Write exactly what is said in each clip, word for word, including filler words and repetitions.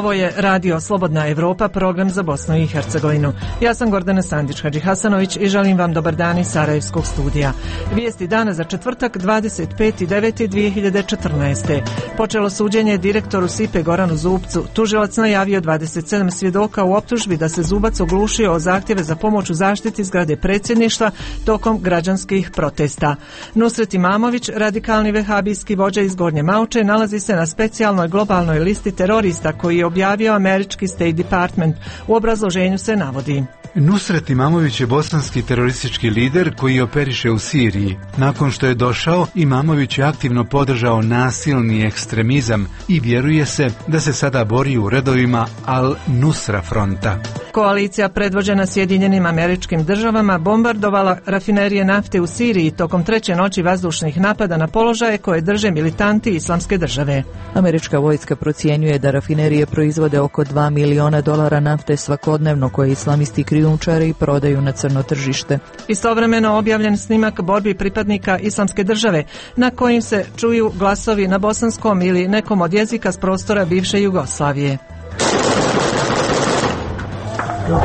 Ovo je Radio Slobodna Evropa, program za Bosnu i Hercegovinu. Ja sam Gordana Sandić-Hadžihasanović i želim vam dobar dan iz Sarajevskog studija. Vijesti dana za četvrtak dvadeset peti deveti dvije hiljade četrnaeste. Počelo suđenje direktoru Sipe Goranu Zubcu. Tužilac najavio dvadeset sedam svjedoka u optužbi da se Zubac oglušio o zahtjeve za pomoć u zaštiti zgrade predsjedništva tokom građanskih protesta. Nusret Imamović, radikalni vehabijski vođa iz Gornje Mauče, nalazi se na specijalnoj globalnoj listi terorista koji je objavio američki State Department. U obrazloženju se navodi: Nusret Imamović je bosanski teroristički lider koji operiše u Siriji. Nakon što je došao, Imamović je aktivno podržao nasilni ekstremizam i vjeruje se da se sada bori u redovima Al-Nusra fronta. Koalicija predvođena Sjedinjenim Američkim Državama bombardovala rafinerije nafte u Siriji tokom treće noći vazdušnih napada na položaje koje drže militanti Islamske države. Američka vojska procjenjuje da rafinerije proizvode oko dva miliona dolara nafte svakodnevno koje islamisti krijumčare i prodaju na crno tržište. Istovremeno objavljen snimak borbi pripadnika Islamske države na kojim se čuju glasovi na bosanskom ili nekom od jezika s prostora bivše Jugoslavije.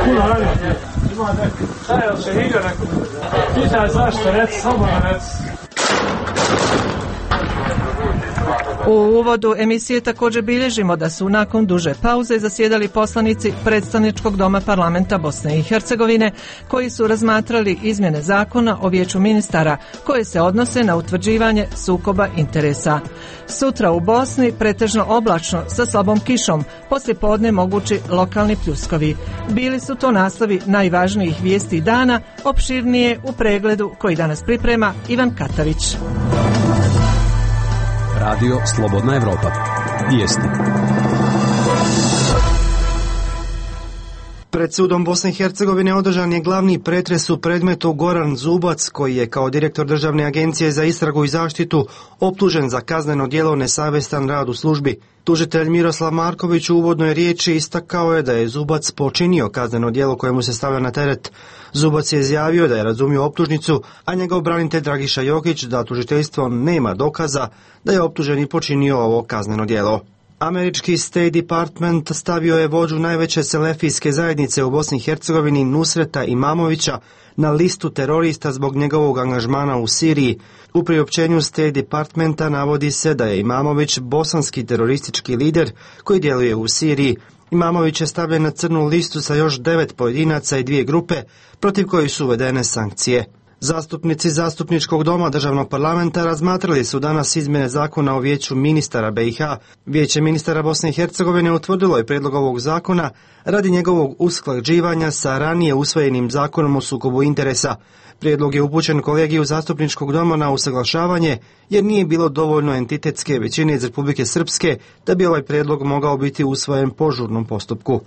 Puno radite, ima neko, šta je, li se vidio neko? Pitaj zašto, reci, samo reci. U uvodu emisije također bilježimo da su nakon duže pauze zasjedali poslanici predstavničkog doma parlamenta Bosne i Hercegovine koji su razmatrali izmjene zakona o vijeću ministara koje se odnose na utvrđivanje sukoba interesa. Sutra u Bosni pretežno oblačno sa slabom kišom, poslije podne mogući lokalni pljuskovi. Bili su to naslovi najvažnijih vijesti dana, opširnije u pregledu koji danas priprema Ivan Katavić. Radio Slobodna Evropa. Vijesti. Pred sudom Bosne i Hercegovine održan je glavni pretres u predmetu Goran Zubac, koji je kao direktor Državne agencije za istragu i zaštitu optužen za kazneno djelo nesavjestan rad u službi. Tužitelj Miroslav Marković u uvodnoj riječi istakao je da je Zubac počinio kazneno djelo kojemu se stavlja na teret. Zubac je izjavio da je razumio optužnicu, a njegov branitelj Dragiša Jokić da tužiteljstvo nema dokaza da je optuženi počinio ovo kazneno djelo. Američki State Department stavio je vođu najveće selefijske zajednice u Bosni i Hercegovini Nusreta Imamovića na listu terorista zbog njegovog angažmana u Siriji. U priopćenju State Departmenta navodi se da je Imamović bosanski teroristički lider koji djeluje u Siriji. Imamović je stavljen na crnu listu sa još devet pojedinaca i dvije grupe protiv kojih su uvedene sankcije. Zastupnici Zastupničkog doma Državnog parlamenta razmatrali su danas izmjene zakona o vijeću ministara B i H. Vijeće ministara Bosne i Hercegovine utvrdilo je prijedlog ovog zakona radi njegovog usklađivanja sa ranije usvojenim zakonom o sukobu interesa. Prijedlog je upućen kolegiju Zastupničkog doma na usaglašavanje jer nije bilo dovoljno entitetske većine iz Republike Srpske da bi ovaj prijedlog mogao biti usvojen po žurnom postupku.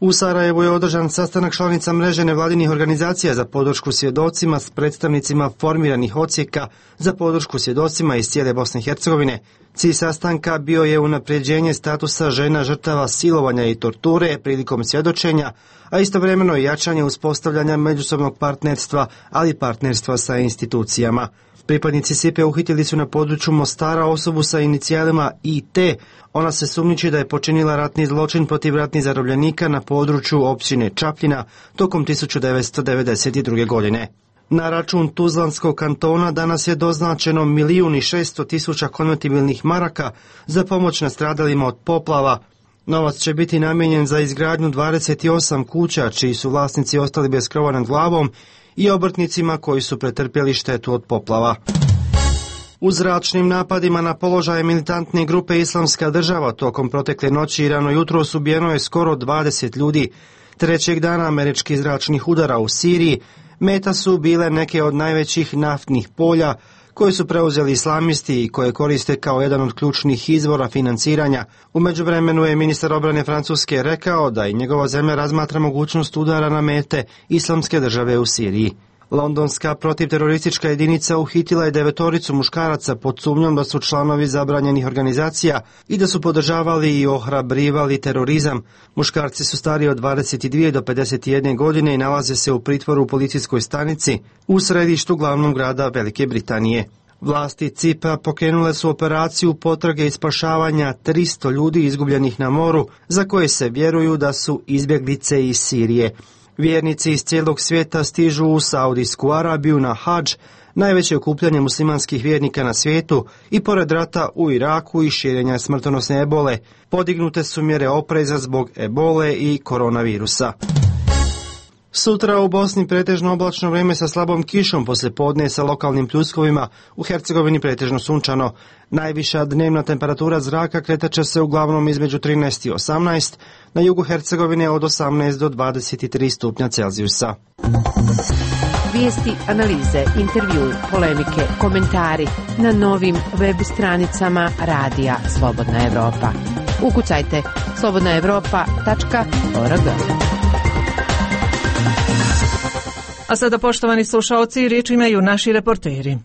U Sarajevu je održan sastanak članica mreže nevladinih organizacija za podršku svjedocima s predstavnicima formiranih odsjeka za podršku svjedocima iz cijele Bosne i Hercegovine. Cilj sastanka bio je unapređenje statusa žena žrtava silovanja i torture prilikom svjedočenja, a istovremeno i jačanje uspostavljanja međusobnog partnerstva, ali partnerstva sa institucijama. Pripadnici Sipe uhitili su na području Mostara osobu sa inicijalima I T. Ona se sumnjiči da je počinila ratni zločin protiv ratnih zarobljenika na području općine Čapljina tokom tisuću devetsto devedeset druge. godine. Na račun Tuzlanskog kantona danas je doznačeno milijun i šesto tisuća konvertibilnih maraka za pomoć nastradalima od poplava. Novac će biti namijenjen za izgradnju dvadeset osam kuća čiji su vlasnici ostali bez krova nad glavom i obrtnicima koji su pretrpjeli štetu od poplava. U zračnim napadima na položaje militantne grupe Islamska država tokom protekle noći i rano jutro ubijeno je skoro dvadeset ljudi. Trećeg dana američkih zračnih udara u Siriji meta su bile neke od najvećih naftnih polja koje su preuzeli islamisti i koje koriste kao jedan od ključnih izvora financiranja. U međuvremenu je ministar obrane Francuske rekao da i njegova zemlja razmatra mogućnost udara na mete Islamske države u Siriji. Londonska protivteroristička jedinica uhitila je devetoricu muškaraca pod sumnjom da su članovi zabranjenih organizacija i da su podržavali i ohrabrivali terorizam. Muškarci su stariji od dvadeset dvije do pedeset jedne godine i nalaze se u pritvoru u policijskoj stanici u središtu glavnog grada Velike Britanije. Vlasti Cipra pokrenule su operaciju potrage i spašavanja tristo ljudi izgubljenih na moru, za koje se vjeruju da su izbjeglice iz Sirije. Vjernici iz cijelog svijeta stižu u Saudijsku Arabiju na hadž, najveće okupljanje muslimanskih vjernika na svijetu, i pored rata u Iraku i širenja smrtonosne ebole. Podignute su mjere opreza zbog ebole i koronavirusa. Sutra u Bosni pretežno oblačno vrijeme sa slabom kišom poslije podne sa lokalnim pljuskovima, u Hercegovini pretežno sunčano. Najviša dnevna temperatura zraka kretat će se uglavnom između trinaest i osamnaest, na jugu Hercegovine od osamnaest do dvadeset tri stupnja Celzijusa. Vijesti, analize, intervju, polemike, komentari na novim web stranicama Radija Slobodna Evropa. Ukucajte slobodna evropa tačka org. A sada, poštovani slušaoci, riječ imaju naši reporteri.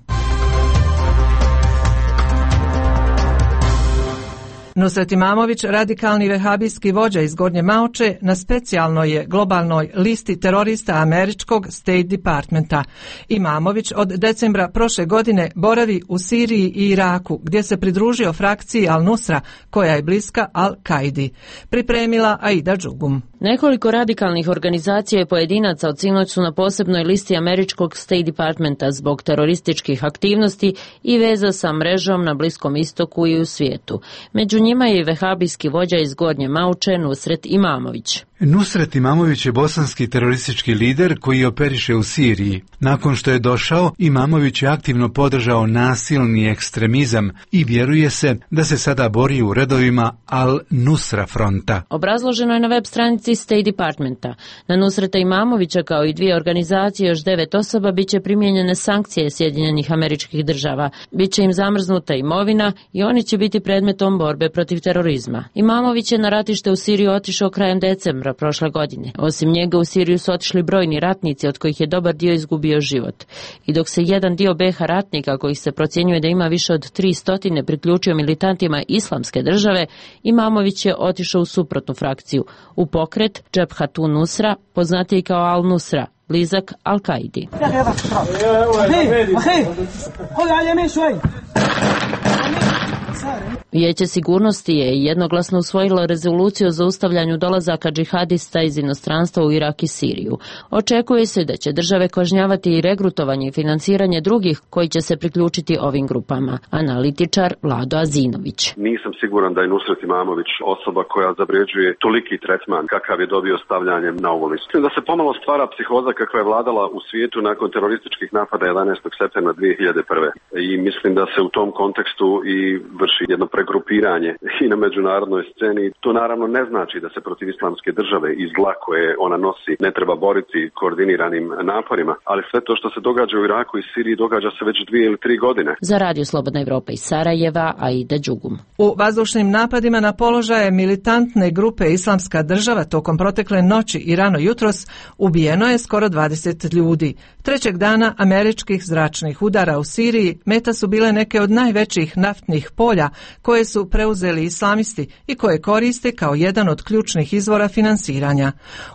Nusret Imamović, radikalni vehabijski vođa iz Gornje Maoče, na specijalnoj je globalnoj listi terorista američkog State Departmenta. Imamović od decembra prošle godine boravi u Siriji i Iraku, gdje se pridružio frakciji Al-Nusra, koja je bliska Al-Kaidi. Pripremila Aida Đugum. Nekoliko radikalnih organizacija i pojedinaca od sinoć su na posebnoj listi američkog State Departmenta zbog terorističkih aktivnosti i veza sa mrežom na Bliskom istoku i u svijetu. Među njima je i vehabijski vođa iz Gornje Maoče Nusret Imamović. Nusret Imamović je bosanski teroristički lider koji operiše u Siriji. Nakon što je došao, Imamović je aktivno podržao nasilni ekstremizam i vjeruje se da se sada bori u redovima Al-Nusra fronta. Obrazloženo je na web stranici State Departmenta. Na Nusreta Imamovića kao i dvije organizacije još devet osoba biće primijenjene sankcije Sjedinjenih Američkih Država. Biće im zamrznuta imovina i oni će biti predmetom borbe protiv terorizma. Imamović je na ratište u Siriju otišao krajem decembra prošle godine. Osim njega u Siriju su otišli brojni ratnici, od kojih je dobar dio izgubio život. I dok se jedan dio B H ratnika, kojih se procjenjuje da ima više od tristo, priključio militantima Islamske države, Imamović je otišao u suprotnu frakciju, u pokret Džebhatu Nusra, poznatiji kao Al-Nusra, blizak Al-Kaidi. Vijeće sigurnosti je jednoglasno usvojilo rezoluciju o zaustavljanju dolazaka džihadista iz inostranstva u Irak i Siriju. Očekuje se da će države kažnjavati i regrutovanje i financiranje drugih koji će se priključiti ovim grupama. Analitičar Vlado Azinović. Nisam siguran da je Nusret Imamović osoba koja zavređuje toliki tretman kakav je dobio stavljanjem na ovu listu. Da se pomalo stvara psihoza kakva je vladala u svijetu nakon terorističkih napada jedanaestog septembra dvije hiljade prve. I mislim da se u tom kontekstu i vrši jedno pregrupiranje i na međunarodnoj sceni. To naravno ne znači da se protiv Islamske države i zla koje ona nosi ne treba boriti koordiniranim naporima, ali sve to što se događa u Iraku i Siriji događa se već dvije ili tri godine. Za Radio Slobodna Evropa iz Sarajeva, Aida Đugum. U vazdušnim napadima na položaje militantne grupe Islamska država tokom protekle noći i rano jutros ubijeno je skoro dvadeset ljudi. Trećeg dana američkih zračnih udara u Siriji meta su bile neke od najvećih naftnih polja koje su preuzeli islamisti i koje koriste kao jedan od ključnih izvora finansiranja.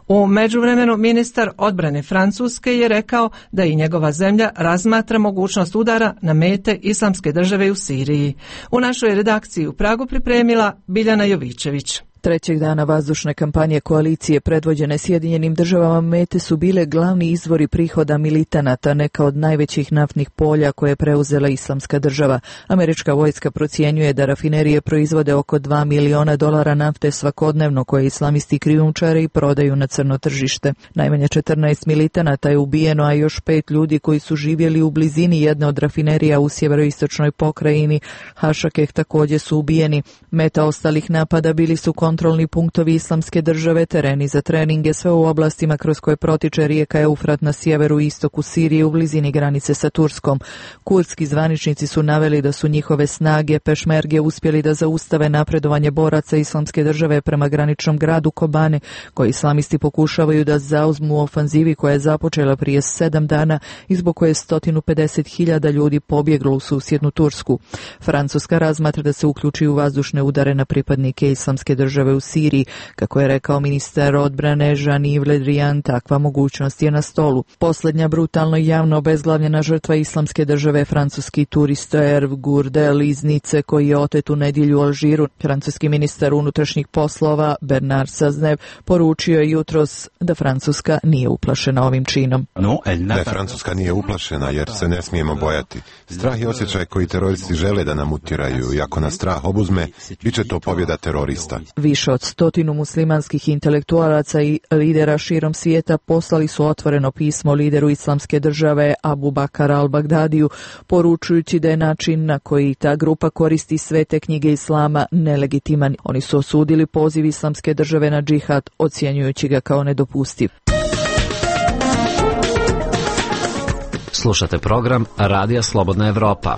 U međuvremenu ministar odbrane Francuske je rekao da i njegova zemlja razmatra mogućnost udara na mete Islamske države u Siriji. U našoj redakciji u Pragu pripremila Biljana Jovićević. Trećeg dana vazdušne kampanje koalicije predvođene Sjedinjenim državama mete su bile glavni izvori prihoda militanata neka od najvećih naftnih polja koje je preuzela Islamska država. Američka vojska procjenjuje da rafinerije proizvode oko dva miliona dolara nafte svakodnevno koje islamisti krijumčare i prodaju na crno tržište. Najmanje četrnaest militanata je ubijeno, a još pet ljudi koji su živjeli u blizini jedne od rafinerija u sjeveroistočnoj pokrajini Hašakeh također su ubijeni. Meta ostalih napada bili su kontrolni punktovi Islamske države, tereni za treninge, sve u oblastima kroz koje protiče rijeka Eufrat na sjeveru i istoku Sirije u blizini granice sa Turskom. Kurdski zvaničnici su naveli da su njihove snage pešmerge uspjeli da zaustave napredovanje boraca Islamske države prema graničnom gradu Kobane, koji islamisti pokušavaju da zauzmu u ofanzivi koja je započela prije sedam dana i zbog koje je sto pedeset hiljada ljudi pobjeglo u susjednu Tursku. Francuska razmatra da se uključi u vazdušne udare na pripadnike Islamske države države u Siriji. Kako je rekao ministar odbrane Jean-Yves Le Drian, takva mogućnost je na stolu. Posljednja brutalno i javno obezglavljena žrtva islamske države je francuski turista Hervé Gourdel iz Nice koji je otet u nedjelju u Alžiru. Francuski ministar unutrašnjih poslova Bernard Cazeneuve poručio je jutros da Francuska nije uplašena ovim činom. Da Francuska nije uplašena jer se ne smijemo bojati. Strah je osjećaj koji teroristi žele da nam utjeraju i ako nas strah obuzme, bit će to pobjeda terorista. Više od stotinu muslimanskih intelektualaca i lidera širom svijeta poslali su otvoreno pismo lideru islamske države Abu Bakar al-Bagdadiju, poručujući da je način na koji ta grupa koristi svete knjige islama nelegitiman. Oni su osudili poziv islamske države na džihad, ocjenjujući ga kao nedopustiv. Slušate program Radija Slobodna Evropa.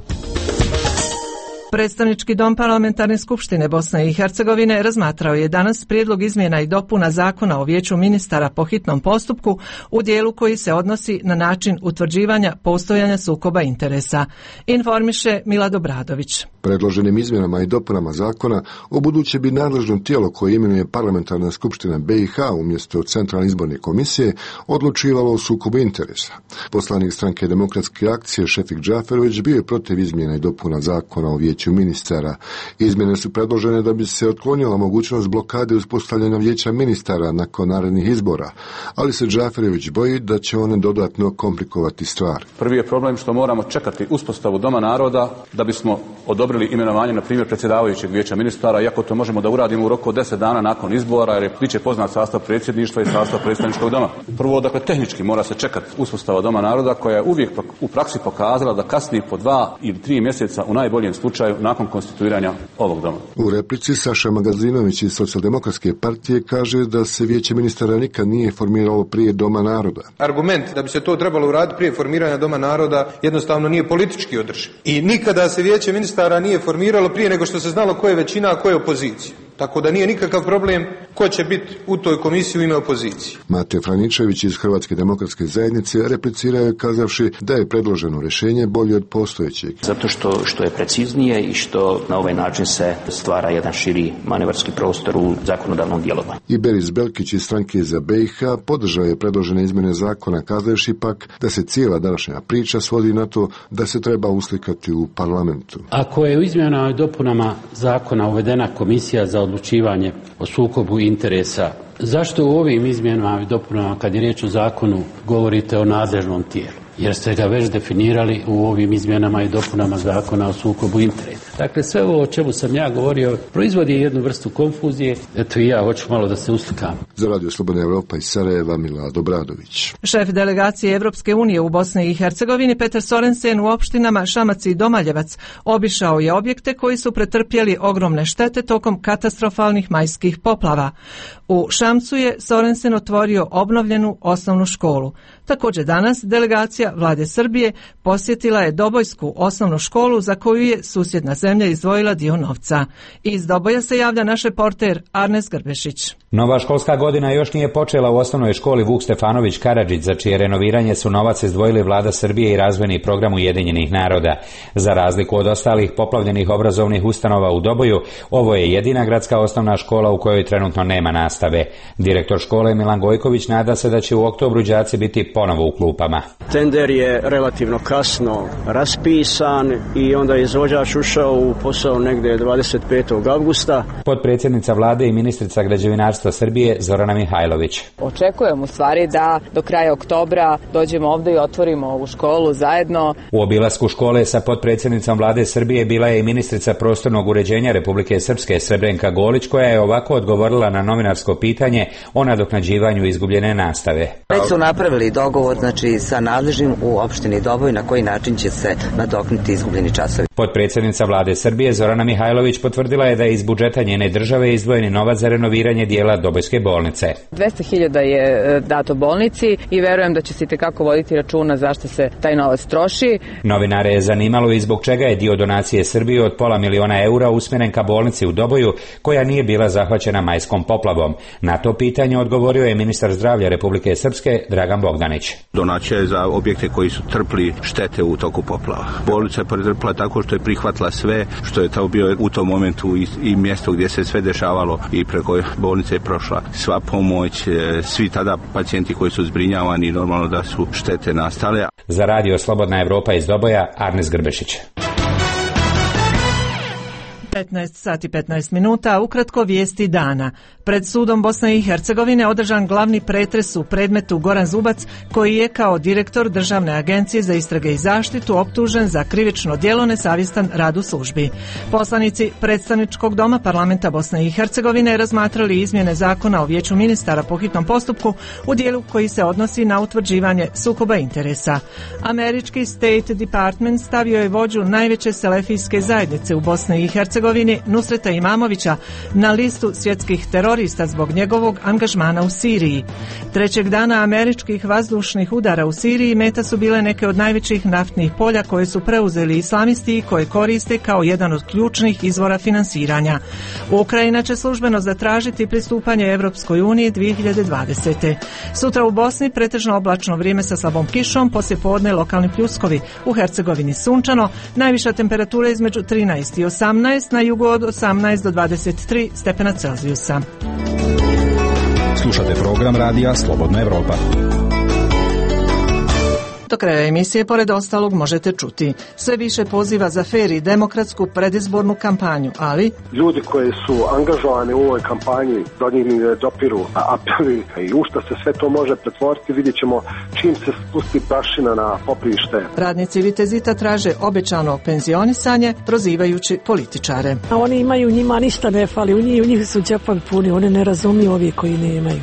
Predstavnički dom Parlamentarne skupštine Bosne i Hercegovine razmatrao je danas prijedlog izmjena i dopuna Zakona o vijeću ministara po hitnom postupku u dijelu koji se odnosi na način utvrđivanja postojanja sukoba interesa. Informiše Milad Obradović. Predloženim izmjenama i dopunama zakona ubuduće bi nadležno tijelo koje imenuje Parlamentarna skupština B i H umjesto Centralne izborne komisije odlučivalo o sukobu interesa. Poslanik stranke Demokratske akcije Šefik Džaferović bio je protiv izmjena i dopuna zakona o vijeću ministara. Izmjene su predložene da bi se otklonila mogućnost blokade uspostavljanja vijeća ministara nakon narednih izbora, ali se Džaferović boji da će one dodatno komplikovati stvar. Prvi je problem što moramo čekati uspostavu Doma naroda da bismo odobrili imenovanje, na primjer, predsjedavajućeg vijeća ministara, iako to možemo da uradimo u roku od deset dana nakon izbora, jer je bit će poznat sastav predsjedništva i sastav predstavničkog doma. Prvo, dakle, tehnički mora se čekati uspostava Doma naroda, koja je uvijek u praksi pokazala da kasni po dva ili tri mjeseca u najboljem slučaju nakon konstituiranja ovog doma. U replici Saša Magazinović iz Socijaldemokratske partije kaže da se vijeće ministara nikad nije formiralo prije Doma naroda. Argument da bi se to trebalo uraditi prije formiranja Doma naroda jednostavno nije politički održiv. I nikada se vijeće ministara nije formiralo prije nego što se znalo ko je većina, a ko je opozicija. Tako da nije nikakav problem ko će biti u toj komisiji u ime opozicije. Matej Franičević iz Hrvatske demokratske zajednice replicirao je kazavši da je predloženo rješenje bolje od postojećeg. Zato što, što je preciznije i što na ovaj način se stvara jedan širi manevarski prostor u zakonodavnom djelovanju. I Beris Belkić iz stranke za B i H podržao je predložene izmjene zakona kazavši pak da se cijela današnja priča svodi na to da se treba uslikati u parlamentu. Ako je u izmjenama i dopunama zakona uvedena komisija za odlučivanje o sukobu interesa, zašto u ovim izmjenama i dopunama, kad je riječ o zakonu, govorite o nadležnom tijelu? Jer ste ga već definirali u ovim izmjenama i dopunama zakona o sukobu interesa. Dakle, sve ovo o čemu sam ja govorio proizvodi jednu vrstu konfuzije. Eto i ja hoću malo da se uslikam. Za Radio Slobodna Evropa iz Sarajeva, Milad Obradović. Šef delegacije Evropske unije u Bosni i Hercegovini Petar Sorensen u opštinama Šamac i Domaljevac obišao je objekte koji su pretrpjeli ogromne štete tokom katastrofalnih majskih poplava. U Šamcu je Sorensen otvorio obnovljenu osnovnu školu. Također danas delegacija Vlade Srbije posjetila je Dobojsku osnovnu školu za koju je susjedna zemlja izdvojila dio novca. Iz Doboja se javlja naš reporter Arnes Grbešić. Nova školska godina još nije počela u osnovnoj školi Vuk Stefanović Karadžić, za čije renoviranje su novac izdvojili Vlada Srbije i razvojni program Ujedinjenih naroda. Za razliku od ostalih poplavljenih obrazovnih ustanova u Doboju, ovo je jedina gradska osnovna škola u kojoj trenutno nema nastave. Direktor škole Milan Gojković nada se da će u oktobru đaci biti ponovo u klupama. Tender je relativno kasno raspisan i onda je izvođač ušao u posao negdje dvadeset petog avgusta. Potpredsjednica vlade i ministrica građevinarstva Srbije Zorana Mihajlović. Očekujem u stvari da do kraja oktobra dođemo ovdje i otvorimo ovu školu zajedno. U obilasku škole sa potpredsjednicom vlade Srbije bila je i ministrica prostornog uređenja Republike Srpske Srebrenka Golić, koja je ovako odgovorila na novinarsko pitanje o nadoknađivanju izgubljene nastave. Već su napravili dogovor, znači sa nadležnim u opštini Doboj na koji način će se nadoknuti izgubljeni časovi. Potpredsjednica vlade Srbije Zorana Mihajlović potvrdila je da je iz budžeta njene države izdvojeni novac za renoviranje dijela dodjelila Dobojske bolnice. dvesta hiljada je dato bolnici i verujem da će se itekako voditi računa zašto se taj novac troši. Novinare je zanimalo i zbog čega je dio donacije Srbije od pola miliona eura usmjeren ka bolnici u Doboju, koja nije bila zahvaćena majskom poplavom. Na to pitanje odgovorio je ministar zdravlja Republike Srpske Dragan Bogdanić. Donacija je za objekte koji su trpli štete u toku poplava. Bolnica je pretrpila tako što je prihvatila sve, što je to bio u tom momentu i, i mjesto gdje se sve dešavalo i preko bolnice je prošla sva pomoć, svi tada pacijenti koji su zbrinjavani, normalno da su štete nastale. Za radio Slobodna Evropa iz Doboja, Arnes Grbešić. petnaest sati petnaest minuta, ukratko vijesti dana. Pred sudom Bosne i Hercegovine održan glavni pretres u predmetu Goran Zubac, koji je kao direktor Državne agencije za istrage i zaštitu optužen za krivično djelo nesavjestan rad u službi. Poslanici predstavničkog doma parlamenta Bosne i Hercegovine razmatrali izmjene zakona o vijeću ministara po hitnom postupku u dijelu koji se odnosi na utvrđivanje sukoba interesa. Američki State Department stavio je vođu najveće selefijske zajednice u Bosni i Hercegovini, Nusreta Imamovića, na listu svjetskih terorista zbog njegovog angažmana u Siriji. Trećeg dana američkih vazdušnih udara u Siriji meta su bile neke od najvećih naftnih polja koje su preuzeli islamisti i koje koriste kao jedan od ključnih izvora finansiranja. Ukrajina će službeno zatražiti pristupanje Evropskoj uniji dvije hiljade dvadesete. Sutra u Bosni pretežno oblačno vrijeme sa slabom kišom, poslijepodne lokalni pljuskovi. U Hercegovini sunčano, najviša temperatura između trinaest i osamnaest, na jugu od osamnaest do dvadeset tri stepena Celzijusa. Slušate program radija Slobodna Evropa. Do kraja emisije, pored ostalog, možete čuti sve više poziva za fer i demokratsku predizbornu kampanju, ali ljudi koji su angažovani u ovoj kampanji, do njih ne dopiru apeli i u što se sve to može pretvoriti, vidjet ćemo čim se spusti prašina na poprište. Radnici Vitezita traže obećano penzionisanje, prozivajući političare. A oni imaju, njima ništa ne fali, u njih, u njih su džepovi puni, oni ne razumiju ovi koji nemaju.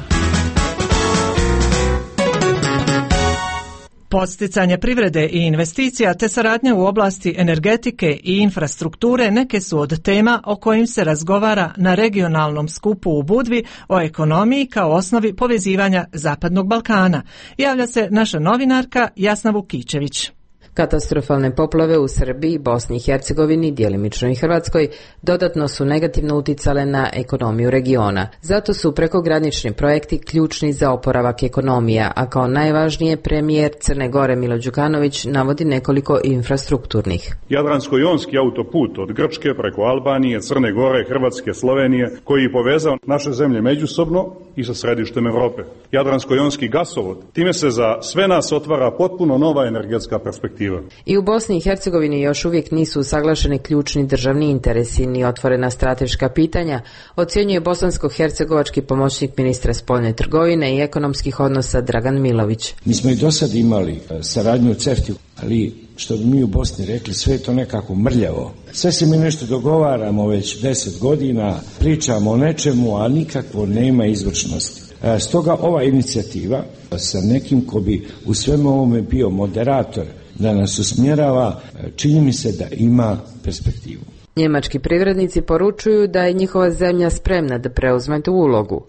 Podsticanje privrede i investicija te saradnja u oblasti energetike i infrastrukture neke su od tema o kojim se razgovara na regionalnom skupu u Budvi o ekonomiji kao osnovi povezivanja Zapadnog Balkana. Javlja se naša novinarka Jasna Vukićević. Katastrofalne poplave u Srbiji, Bosni i Hercegovini, djelimično i Hrvatskoj, dodatno su negativno uticale na ekonomiju regiona. Zato su prekogranični projekti ključni za oporavak ekonomija, a kao najvažnije premijer Crne Gore Milo Đukanović navodi nekoliko infrastrukturnih. Jadransko-jonski autoput od Grčke preko Albanije, Crne Gore, Hrvatske, Slovenije, koji je povezao naše zemlje međusobno i sa središtem Europe. Jadransko-jonski gasovod, time se za sve nas otvara potpuno nova energetska perspektiva. I u Bosni i Hercegovini još uvijek nisu usaglašeni ključni državni interesi ni otvorena strateška pitanja, ocjenjuje bosansko-hercegovački pomoćnik ministra spoljne trgovine i ekonomskih odnosa Dragan Milović. Mi smo i do sad imali saradnju u CEFTA, ali što bi mi u Bosni rekli, sve je to nekako mrljavo. Sve se mi nešto dogovaramo već deset godina, pričamo o nečemu, a nikakvo nema izvršnosti. Stoga ova inicijativa sa nekim ko bi u svemu ovome bio moderator da nas usmjerava, čini mi se da ima perspektivu. Njemački privrednici poručuju da je njihova zemlja spremna da preuzme tu ulogu.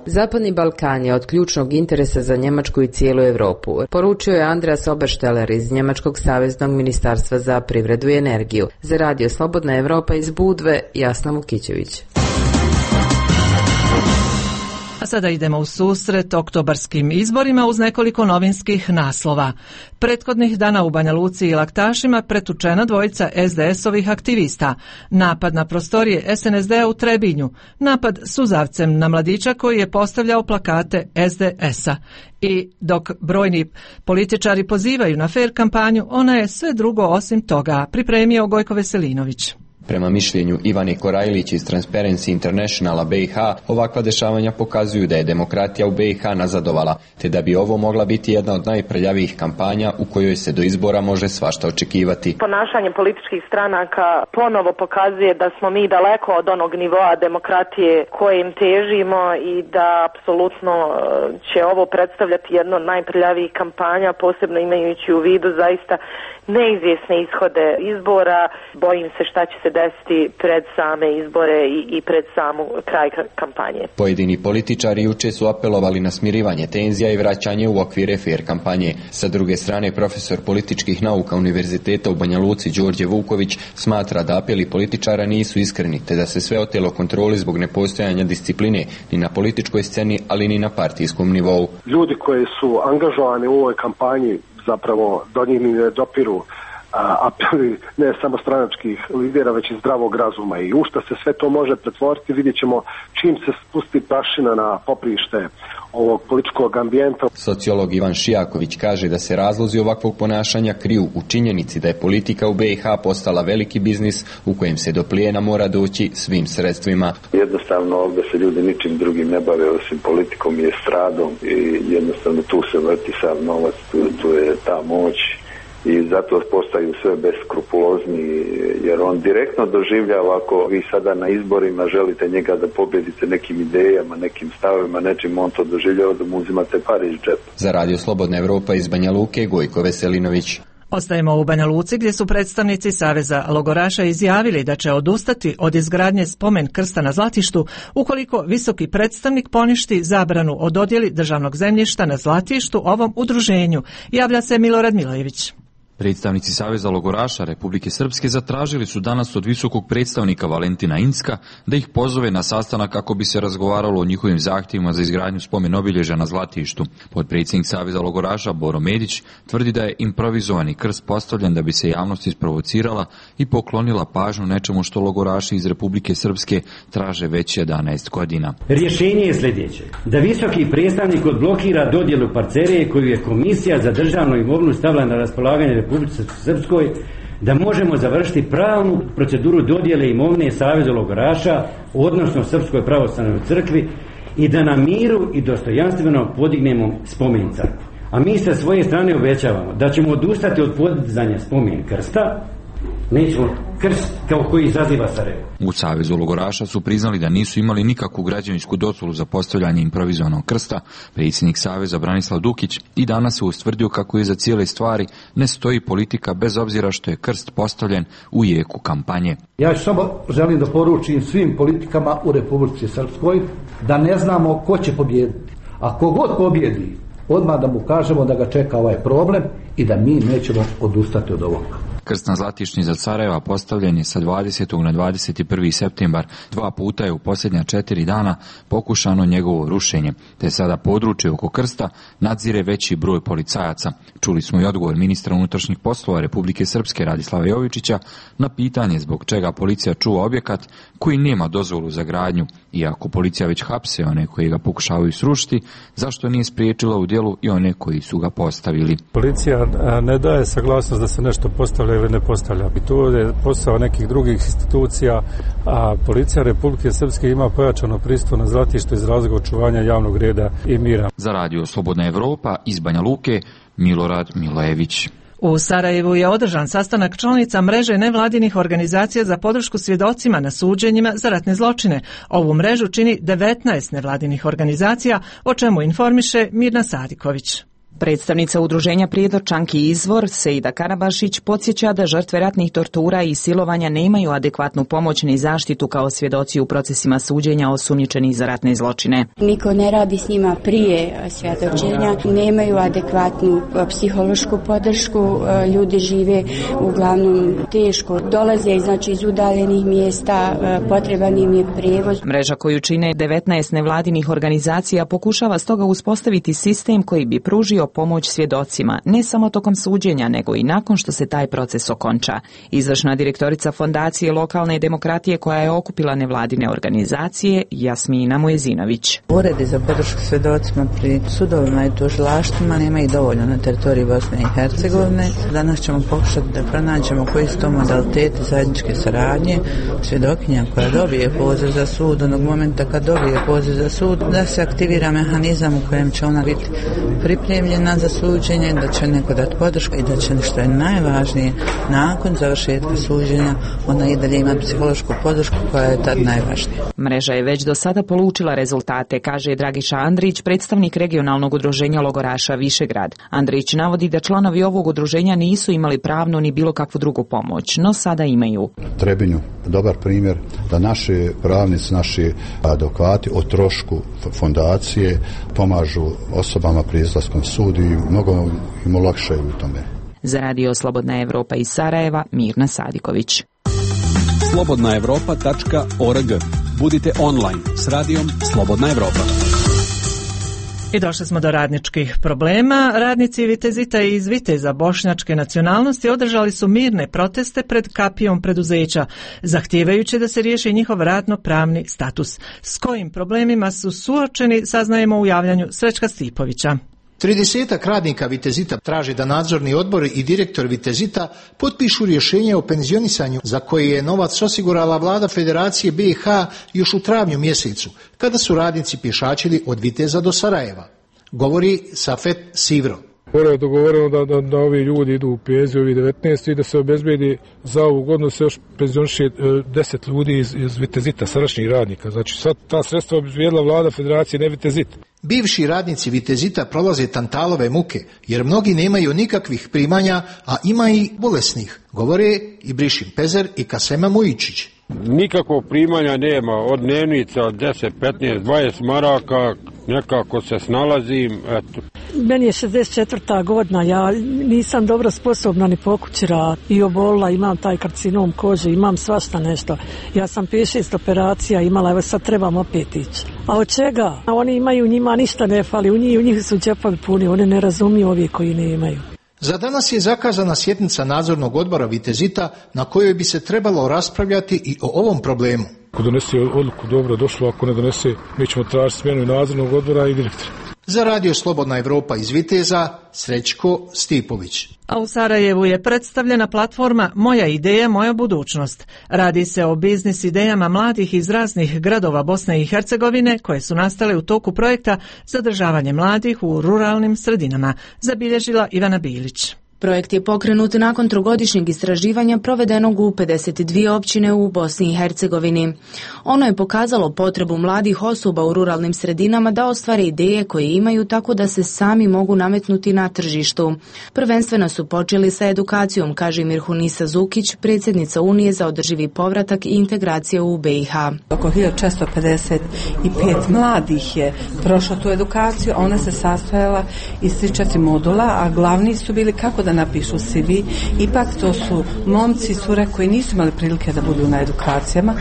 Zapadni Balkan je od ključnog interesa za Njemačku i cijelu Europu, poručio je Andreas Obersteller iz Njemačkog saveznog ministarstva za privredu i energiju. Za radio Slobodna Evropa iz Budve, Jasna Vukićević. A sada idemo u susret oktobarskim izborima uz nekoliko novinskih naslova. Prethodnih dana u Banja Luci i Laktašima pretučena dvojica es de es-ovih aktivista. Napad na prostorije es en es de-a u Trebinju. Napad suzavcem na mladića koji je postavljao plakate es de es-a. I dok brojni političari pozivaju na fer kampanju, ona je sve drugo osim toga, pripremio Gojko Veselinović. Prema mišljenju Ivane Korajlić iz Transparency Internationala be i ha, ovakva dešavanja pokazuju da je demokratija u be i ha nazadovala, te da bi ovo mogla biti jedna od najprljavijih kampanja u kojoj se do izbora može svašta očekivati. Ponašanje političkih stranaka ponovo pokazuje da smo mi daleko od onog nivoa demokratije kojim težimo i da apsolutno će ovo predstavljati jedno od najprljavijih kampanja, posebno imajući u vidu zaista neizvjesne ishode izbora. Bojim se šta će se desiti pred same izbore i, i pred samu kraj kampanje. Pojedini političari juče su apelovali na smirivanje tenzija i vraćanje u okvire fer kampanje. Sa druge strane, profesor političkih nauka Univerziteta u Banja Luci Đorđe Vuković smatra da apeli političara nisu iskreni, te da se sve otelo kontroli zbog nepostojanja discipline ni na političkoj sceni, ali ni na partijskom nivou. Ljudi koji su angažovani u ovoj kampanji zapravo do njih ne dopiru apeli ne samo stranačkih lidera, već i zdravog razuma. I u šta se sve to može pretvoriti, vidjet ćemo čim se spusti prašina na poprište ovog političkog ambijenta. Sociolog Ivan Šijaković kaže da se razlozi ovakvog ponašanja kriju u činjenici da je politika u B i H postala veliki biznis u kojem se do plijena mora doći svim sredstvima. Jednostavno ovdje se ljudi ničim drugim ne bave osim politikom i estradom i jednostavno tu se vrti sav novac, tu, tu je ta moć. I zato postaju sve beskrupulozni, jer on direktno doživljava, ako vi sada na izborima želite njega da pobjedite nekim idejama, nekim stavima, nečim, on to doživljava da mu uzimate pare iz džepa. Za Radio Slobodna Evropa iz Banja Luke, Gojko Veselinović. Ostajemo u Banja Luci gdje su predstavnici Saveza logoraša izjavili da će odustati od izgradnje spomen krsta na Zlatištu ukoliko visoki predstavnik poništi zabranu o dodjeli državnog zemljišta na Zlatištu ovom udruženju, javlja se Milorad Milojević. Predstavnici Saveza logoraša Republike Srpske zatražili su danas od visokog predstavnika Valentina Incka da ih pozove na sastanak kako bi se razgovaralo o njihovim zahtjevima za izgradnju spomen obilježja na Zlatištu. Potpredsjednik Saveza logoraša Boro Medić tvrdi da je improvizovani krst postavljen da bi se javnost isprovocirala i poklonila pažnju nečemu što logoraši iz Republike Srpske traže već jedanaest godina. Rješenje je sljedeće: da visoki predstavnik odblokira dodjelu parcele koju je Komisija za državnu imovinu stavila na raspolaganje Republici Srpskoj, da možemo završiti pravnu proceduru dodjele imovine Savezu logoraša, odnosno Srpskoj pravoslavnoj crkvi, i da na miru i dostojanstveno podignemo spomen crkvu. A mi sa svoje strane obećavamo da ćemo odustati od podizanja spomen krsta, nećemo krst kao koji izaziva Sarajevo. U Savezu logoraša su priznali da nisu imali nikakvu građevinsku dozvolu za postavljanje improvizovanog krsta. Predsjednik Saveza Branislav Dukić i danas se ustvrdio kako iza cijele stvari ne stoji politika bez obzira što je krst postavljen u jeku kampanje. Ja samo želim da poručim svim politikama u Republici Srpskoj da ne znamo ko će pobijediti. A kogod pobjedi, odmah da mu kažemo da ga čeka ovaj problem i da mi nećemo odustati od ovoga. Krst na Zlatišni za Sarajeva postavljen je sa dvadesetog na dvadeset prvi septembar. Dva puta je u posljednja četiri dana pokušano njegovo rušenje, te sada područje oko krsta nadzire veći broj policajaca. Čuli smo i odgovor ministra unutrašnjih poslova Republike Srpske Radislava Jovičića na pitanje zbog čega policija čuva objekat koji nema dozvolu za gradnju. Iako policija već hapse one koji ga pokušavaju srušiti, zašto nije spriječila u djelu i one koji su ga postavili? Policija ne daje saglasnost da se nešto postavlja ili ne postavlja. I to je posao nekih drugih institucija, a policija Republike Srpske ima pojačano pristup na Zlatištu iz razloga očuvanja javnog reda i mira. Za Radio Slobodna Evropa iz Banja Luke, Milorad Milojević. U Sarajevu je održan sastanak članica mreže nevladinih organizacija za podršku svjedocima na suđenjima za ratne zločine. Ovu mrežu čini devetnaest nevladinih organizacija, o čemu informiše Mirna Sadiković. Predstavnica udruženja Prijedorčanki Izvor, Sejda Karabašić, podsjeća da žrtve ratnih tortura i silovanja nemaju adekvatnu pomoć ni zaštitu kao svjedoci u procesima suđenja osumnjičenih za ratne zločine. Niko ne radi s njima prije svjedočenja, nemaju adekvatnu psihološku podršku, ljudi žive uglavnom teško, dolaze znači iz udaljenih mjesta, potreban im je prijevoz. Mreža koju čine devetnaest nevladinih organizacija pokušava stoga uspostaviti sistem koji bi pružio pomoć svjedocima, ne samo tokom suđenja, nego i nakon što se taj proces okonča. Izvršna direktorica Fondacije lokalne demokratije koja je okupila nevladine organizacije, Jasmina Mujezinović. Uredi za podršku svjedocima pri sudovima i tužilaštvima nema i dovoljno na teritoriji Bosne i Hercegovine. Danas ćemo pokušati da pronađemo koji su to modaliteti zajedničke saradnje. Svjedokinja koja dobije poziv za sud, onog momenta kad dobije poziv za sud, da se aktivira mehanizam u kojem će ona biti pripremljena za suđenje, da će neko dati podršku i da će, što je najvažnije, nakon završetka suđenja ona i dalje ima psihološku podršku koja je tad najvažnija. Mreža je već do sada polučila rezultate, kaže Dragiša Andrić, predstavnik regionalnog udruženja logoraša Višegrad. Andrić navodi da članovi ovog udruženja nisu imali pravnu ni bilo kakvu drugu pomoć, no sada imaju. Trebinju, dobar primjer da naši pravnici, naši advokati o trošku fondacije pomažu osobama pri izlaskom sudu i mnogo im olakšaju u tome. Za radio Slobodna Evropa iz Sarajeva, Mirna Sadiković. slobodna evropa tačka org. Budite online s radijom Slobodna Evropa. I došli smo do radničkih problema. Radnici Vitezita i iz Viteza bošnjačke nacionalnosti održali su mirne proteste pred kapijom preduzeća, zahtijevajući da se riješi njihov radno-pravni status. S kojim problemima su suočeni, saznajemo u javljanju Srećka Stipovića. Tridesetak radnika Vitezita traži da nadzorni odbor i direktor Vitezita potpišu rješenje o penzionisanju za koje je novac osigurala vlada Federacije B i H još u travnju mjesecu, kada su radnici pješačili od Viteza do Sarajeva. Govori Safet Sivro. Prvo je dogovoreno da, da, da ovi ljudi idu u penziju, ovi devetnaest, i da se obezbedi za ovu godinu se još penzioniše deset ljudi iz, iz Vitezita, sadašnjih radnika. Znači sad ta sredstva obezbijedila vlada Federacije, ne Vitezit. Bivši radnici Vitezita prolaze tantalove muke, jer mnogi nemaju nikakvih primanja, a ima i bolesnih, govore i Brišin Pezer i Kasema Mujičić. Nikakvog primanja nema, od dnevnica od deset, petnaest, dvadeset maraka, nekako se snalazim, eto. Meni je šezdeset četvrta godina, ja nisam dobro sposobna ni pokući rad i obolila, imam taj karcinom kože, imam svašta nešto. Ja sam pet šest operacija imala, evo sad trebam opet ići. A od čega? Oni imaju, njima ništa ne fali, u njih, u njih su džepovi puni, oni ne razumiju ovi koji ne imaju. Za danas je zakazana sjednica nadzornog odbora Vitezita na kojoj bi se trebalo raspravljati i o ovom problemu. Ako donese odluku dobro došlo, ako ne donese, mi ćemo tražiti smjenu nadzornog odbora i direktora. Za radio Slobodna Evropa iz Viteza, Srećko Stipović. A u Sarajevu je predstavljena platforma Moja ideja, moja budućnost. Radi se o biznis idejama mladih iz raznih gradova Bosne i Hercegovine koje su nastale u toku projekta Zadržavanje mladih u ruralnim sredinama, zabilježila Ivana Bilić. Projekt je pokrenut nakon trogodišnjeg istraživanja provedenog u pedeset dvije općine u Bosni i Hercegovini. Ono je pokazalo potrebu mladih osoba u ruralnim sredinama da ostvare ideje koje imaju tako da se sami mogu nametnuti na tržištu. Prvenstveno su počeli sa edukacijom, kaže Mirhunisa Zukić, predsjednica Unije za održivi povratak i integraciju u B i H. Oko hiljadu četiristo pedeset pet mladih je prošlo tu edukaciju, ona se sastojala iz tri četiri modula, a glavni su bili kako da napišu C V. Ipak to su momci i cure koji nisu imali prilike da budu na edukacijama,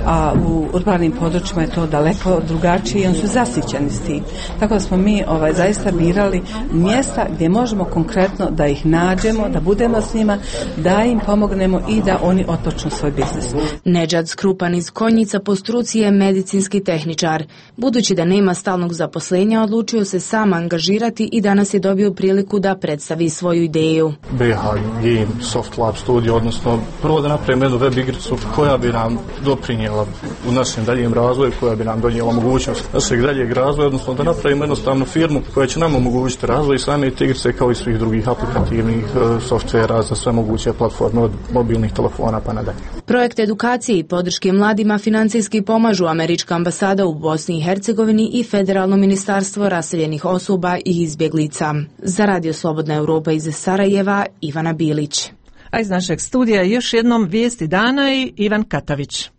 a u urbanim područjima je to daleko drugačije i oni su zasićeni s tim. Tako da smo mi ovaj, zaista birali mjesta gdje možemo konkretno da ih nađemo, da budemo s njima, da im pomognemo i da oni otpočnu svoj biznis. Nedžad Skrupan iz Konjica po struci je medicinski tehničar. Budući da nema stalnog zaposlenja, odlučio se sam angažirati i danas je dobio priliku da predstavi svoju ideju. B H Game Soft Lab Studio, odnosno prvo da napravimo jednu web igricu koja bi nam doprinijela u našem daljem razvoju, koja bi nam donijela mogućnost našeg daljeg razvoja, odnosno da napravimo jednostavnu firmu koja će nam omogućiti razvoj same te igrice kao i svih drugih aplikativnih uh, softvera za sve moguće platforme od mobilnih telefona pa nadalje. Projekt edukacije i podrške mladima financijski pomažu Američka ambasada u Bosni i Hercegovini i Federalno ministarstvo raseljenih osoba i izbjeglica. Za radio Slobodna Evropa iz Sarajeva, Ivana Bilić. A iz našeg studija još jednom vijesti dana i Ivan Katavić.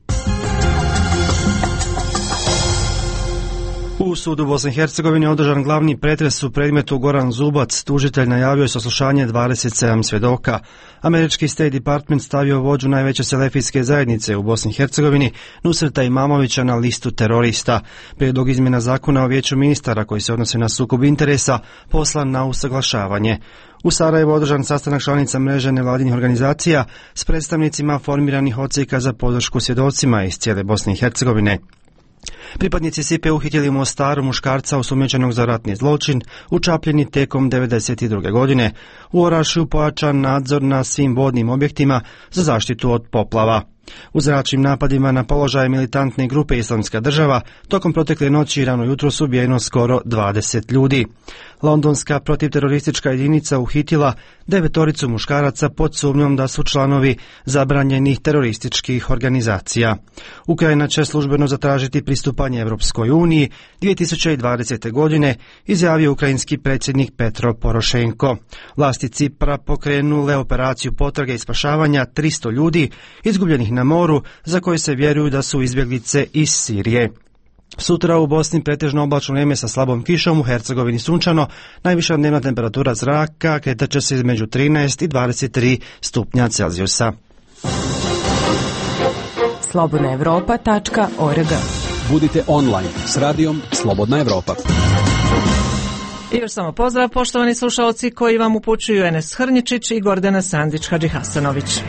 U sudu Bosne i Hercegovine održan glavni pretres u predmetu Goran Zubac. Tužitelj najavio je saslušanje dvadeset sedam svjedoka. Američki State Department stavio vođu najveće selefijske zajednice u Bosni i Hercegovini, Nusreta Imamovića, na listu terorista. Prijedlog izmjena zakona o vijeću ministara koji se odnose na sukob interesa poslan na usaglašavanje. U Sarajevu održan sastanak članica mreže nevladinih organizacija s predstavnicima formiranih odsjeka za podršku svjedocima iz cijele Bosne i Hercegovine. Pripadnici S I P-e uhitili u Mostaru muškarca osumnjičenog za ratni zločin u Čapljini tijekom devedeset druge godine. U Orašju pojačan nadzor na svim vodnim objektima za zaštitu od poplava. U zračnim napadima na položaje militantne grupe Islamska država tokom protekle noći i rano jutro su ubijeno skoro dvadeset ljudi. Londonska protivteroristička jedinica uhitila devetoricu muškaraca pod sumnjom da su članovi zabranjenih terorističkih organizacija. Ukrajina će službeno zatražiti pristupanje Evropskoj uniji dvije tisuće dvadesete. godine, izjavio ukrajinski predsjednik Petro Porošenko. Vlasti Cipra pokrenule operaciju potrage i spašavanja tristo ljudi izgubljenih na moru za koje se vjeruju da su izbjeglice iz Sirije. Sutra u Bosni pretežno oblačno vrijeme sa slabom kišom, u Hercegovini sunčano, najviša dnevna temperatura zraka kretat će se između trinaest i dvadeset tri stupnja Celzijusa. slobodna evropa tačka org. Budite online s radijom Slobodna Evropa. I još samo pozdrav, poštovani slušalci koji vam upućuju Enes Hrničić i Gordana Sandić Hadžihasanović.